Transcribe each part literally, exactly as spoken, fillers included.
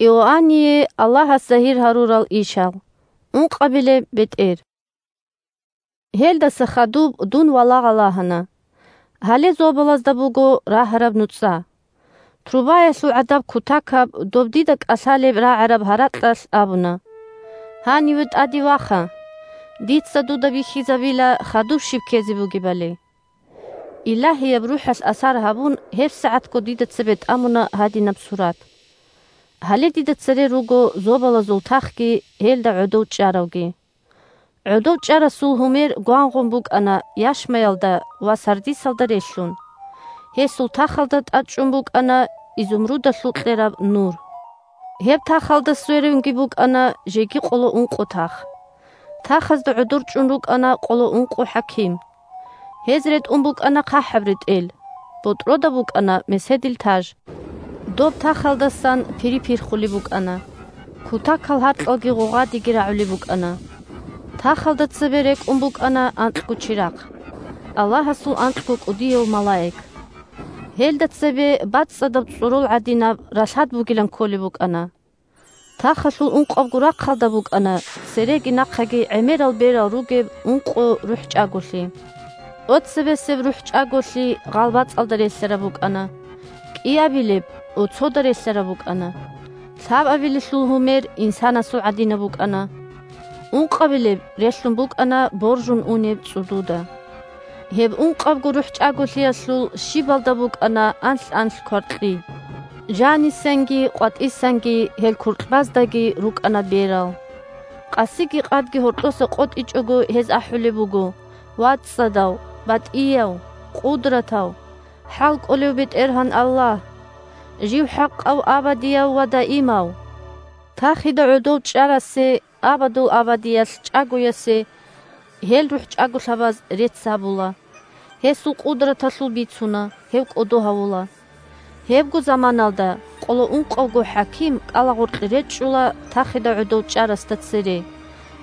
Иоанние Аллагьас загьир гьарурал ишал. Ункъабилеб бетӀер. Гьелдаса хадуб дун валагъа лагьана. Гьале зобалазда буго рагьараб нуцӀа. Трубаялъул гӀадаб кутакаб доб дида кӀалъалеб рагӀараб гьаракьалъ абуна: «Гьаниве тӀаде ваха. Дица дуда бихьизабила хадуб щиб ккезе бугебали». Илагьияб РухӀалъ асар гьабун, гьебсагӀатго дида цебе тӀамуна гьадинаб сурат. Гьале дида цере руго зобалазул тахги гьелда гӀодов чӀаравги. ГӀодов чӀарасул гьумер гвангъун букӀана яшмаялда ва сардисалда релълъун. Гьесул тахалда тӀадчӀун букӀана изумрудалъул кьераб нур. Гьеб тахалда сверунги букӀана жеги къоло ункъо тах. Тахазда гӀодор чӀун рукӀана къоло ункъо хӀаким. Гьез ретӀун букӀана хъахӀаб ретӀел, ботӀрода букӀана меседил таж. Доб тахалдасан пири пирхулеб букӀана. Кутакал гьаркьалги гъугъадиги рагӀулеб букӀана. Тахалда цебе рекӀун букӀана анкьго чирахъ, Аллагьасул анкьго кӀудияв малаик. Гьелда цебе бацӀцӀадаб цӀорол гӀадинаб ралъад бугилан кколеб букӀана. Тахалъул ункъабго рахъалда букӀана цереги нахъаги гӀемерал берал ругеб ункъо рухӀчӀаголъи. Оцебесеб рухӀчӀаголъи гъалбацӀалда релълъараб букӀана, кӀиабилеб оцода релълъараб букӀана, лъабабилелъул гьумер инсанасул гӀадинаб букӀана, ункъабилеб релълъун букӀана боржун унеб цӀудуда. Гьеб ункъабго рухӀчӀаголъиялъул щибалда букӀана анлъ-анлъ кваркьи. Жанисанги къватӀисанги гьел куркьбаздаги рукӀана берал. Къасиги къадги гьоркьоса къотӀичӀого гьез ахӀулеб буго: «ВацӀцӀадав, батӀияв, къудратав, хӀалкӀолев БетӀергьан Аллагь! Жив хӀакъав, абадияв ва даимав!» Тахида гӀодов чӀарасе, абадул абадиялъ чӀагоясе гьел рухӀчӀаголъабаз рецц гьабула. Гьесул къудраталъул бицуна, гьев кӀодо гьавула. Гьебго заманалда къоло ункъавго хӀаким кӀалагъоркье речӀчӀула тахида гӀодов чӀарасда цере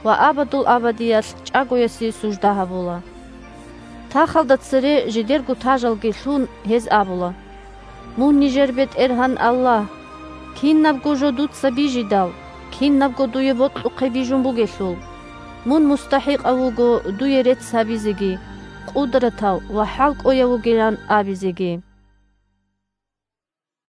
ва абадул абадиялъ чӀагоясе сужда гьабула. Тахалда цере жидерго тажалги лъун, гьез абула: «Мун нижер БетӀергьан Аллагь! Кинабго жо дуца бижидал, кинабго дуе бокьухъе бижун бугелъул, мун мустахӀикъав вуго дуе рецц гьабизеги, къудратав ва хӀалкӀояв вугилан абизеги».